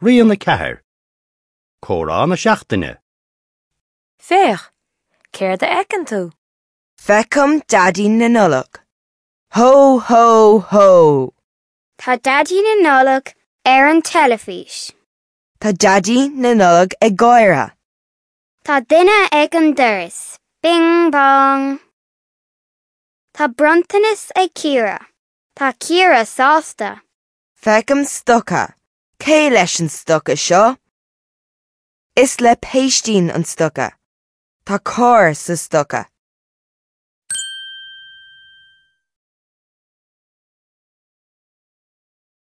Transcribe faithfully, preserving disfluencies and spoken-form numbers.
Rian a ceathair. Comhrá na seachtaine. Féach, céard a fheiceann tú? Feicim Daidí na Nollag. Ho ho ho! Tá Daidí na Nollag ar an teilifís. Tá Daidí na Nollag ag gáire. Tá duine ag an doras. Bing bong. Tá bronntanas ag Ciara. Tá Ciara sásta. Feicim stoca. Cé leis an stoca seo? Is le Péistín an stoca. Tá carr sa stoca.